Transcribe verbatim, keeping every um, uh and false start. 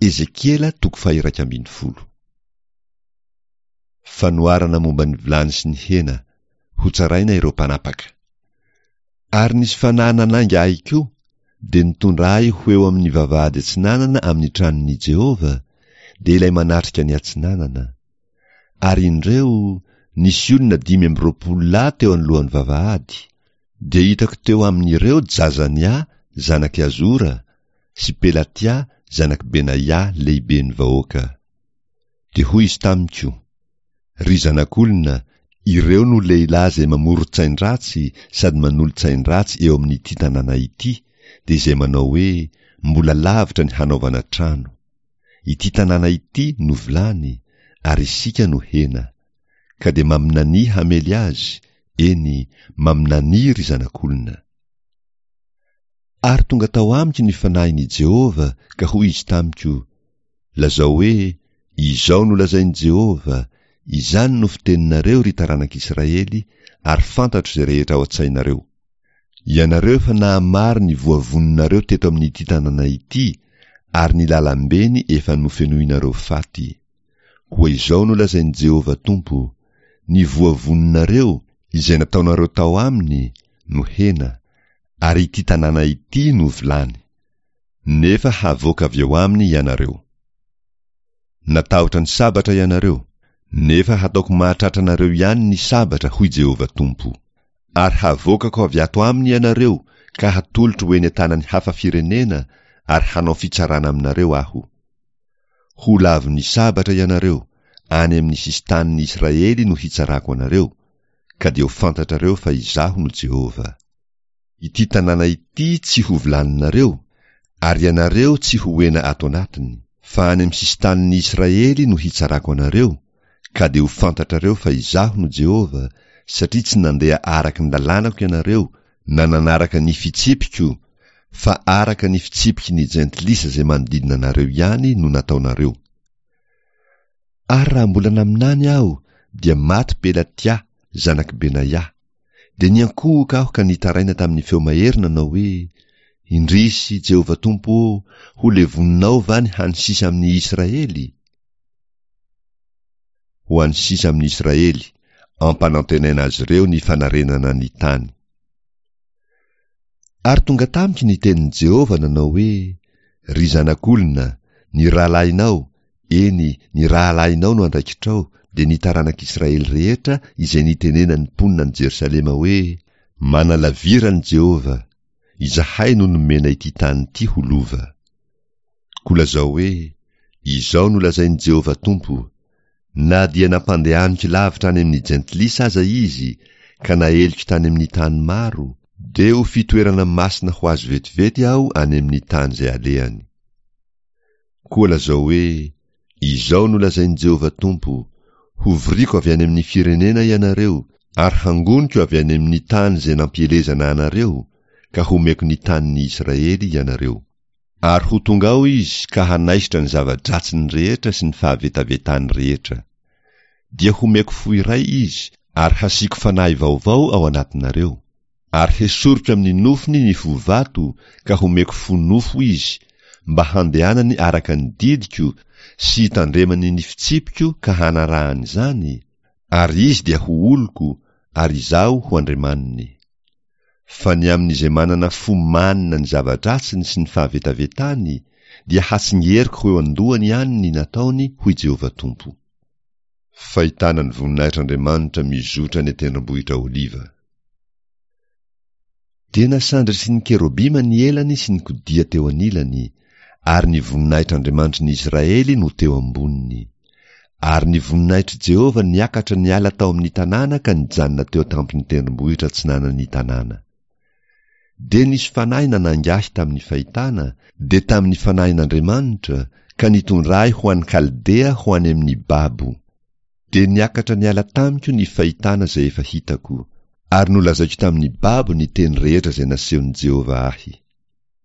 Ezekiela toko faha-iraika ambin'ny folo. Fanoharana momba ny vilany sy ny hena, hotsaraina ireo mpanapaka. Ary nisy fanahy nanainga ahy koa, dia nitondra ahy ho eo amin'ny vavahady atsinanana amin'ny tranon'i Jehovah, dia ilay manatrika ny atsinanana. Ary indreo, nisy olona dimy amby roapolo lahy teo anoloan'ny vavahady. Dia hitako teo amin'ireo Jazania, zanak'i Azora, sy Pelatia, zanak'i Benaia, lehiben'ny vahoaka. Dia hoy izy tamiko, Ry zanak'olona, ireo no lehilahy izay mamoron-tsain-dratsy sady manolo-tsain-dratsy eo amin'ity tanàna ity, dia izay manao hoe, Mbola lavitra ny hanaovana trano. Ity tanàna ity no vilany, ary isika no hena. Ka dia maminania hamely azy, eny, maminania, ry zanak'olona. Ary tonga tao amiko ny Fanahin' i Jehovah, ka hoy Izy tamiko, Lazao hoe, Izao no lazain'i Jehovah, Izany no fiteninareo, ry taranak'i Israely, ary fantatro izay rehetra ao an-tsainareo. Ianareo efa nahamaro ny voavononareo teto amin'ity tanàna ity, ary ny làlambeny efa nofenoinareo faty. Koa izao no lazain'i Jehovah Tompo, Ny voavononareo, izay nataonareo tao aminy, no hena, ary ity tanàna ity no vilany. Nefa havoaka avy eo aminy ianareo. Natahotra ny sabatra ianareo, nefa hataoko mahatratra anareo ihany ny sabatra, hoy Jehovah Tompo. Ary havoakako avy ato aminy ianareo ka hatolotro ho eny an-tanan'ny hafa firenena ary hanao fitsarana aminareo Aho. Ho lavon'ny sabatra ianareo, any amin'ny sisin-tanin'ny Israely no hitsarako anareo, ka dia ho fantatrareo fa Izaho no Jehovah. Ity tanàna ity tsy ho vilaninareo, ary ianareo tsy ho hena ato anatiny, fa any amin'ny sisin-tanin'ny Israely no hitsarako anareo, ka dia ho fantatrareo fa Izaho no Jehovah, satria tsy nandeha araka ny lalànako ianareo na nanaraka ny fitsipiko, fa araka ny fitsipiky ny jentilisa izay manodidina anareo ihany no nataonareo. Ary raha mbola naminany aho, dia maty Pelatia, zanak'i Benaia. Dia niankohoka aho ka nitaraina tamin'ny feo mahery nanao hoe, Indrisy, Jehovah Tompo ô, ho levoninao va ny hany sisa amin'ny Israely? Ho an'ny sisa amin'ny Israely, ampanantenaina azy ireo ny fanarenana ny tany. Ary tonga tamiko ny tenin'i Jehovah nanao hoe, Ry zanak'olona, ny rahalahinao, eny, ny rahalahinao no andraikitrao, dia ny taranak'Israely rehetra izay nitenenan'ny mponina any Jerosalema hoe, Manalavira an'i Jehovah, izahay no nomena ity tany ity ho lova. Koa lazao hoe, Izao no lazain'i Jehovah Tompo, Na dia nampandehaniko lavitra any amin'ny jentilisa aza izy, ka naeliko tany amin'ny tany maro, dia ho fitoerana masina ho azy vetivety aho any amin'ny tany izay alehany. Koa lazao hoe, Izao no lazain'i Jehovah Tompo, Hovoriko avy any amin'ny firenena ianareo, ary hangoniko avy any amin'ny tany izay nampielezana anareo, ka homeko ny tanin'ny Israely ianareo. Ary ho tonga ao izy ka hanaisotra ny zava-dratsiny rehetra sy ny fahavetavetany rehetra. Dia homeko fo iray izy, ary hasiako fanahy vaovao ao anatinareo. Ary hesoriko amin'ny nofony ny fo vato ka homeko fo nofo izy, mba handehanany araka ny didiko sy hitandremany ny fitsipiko ka hanarahany izany, ary izy dia ho oloko, ary Izaho ho Andriamaniny. Fa ny amin'izay manana fo manina ny zava-dratsiny sy ny fahavetavetany, dia hatsingeriko ho eo an-dohany ihany ny nataony, hoy Jehovah Tompo. Fahitana ny voninahitr'Andriamanitra mizotra any an-tendrombohitra Oliva. Dia nasandratry ny kerobima ny elany sy ny kodia teo anilany, ary ny voninahitr'Andriamanitry ny Israely no teo amboniny. Ary ny voninahitr'i Jehovah niakatra niala tao amin'ny tanàna ka nijanona teo an-tampon'ny tendrombohitra atsinanan'ny tanàna. Dia nisy fanahy nanainga ahy tamin'ny fahitana, dia tamin'ny fanahin'Andriamanitra, ka nitondra ahy ho any Kaldea ho any amin'ny babo. Dia niakatra niala tamiko ny fahitana izay efa hitako, ary nolazaiko tamin'ny babo ny teny rehetra izay nasehon'i Jehovah ahy.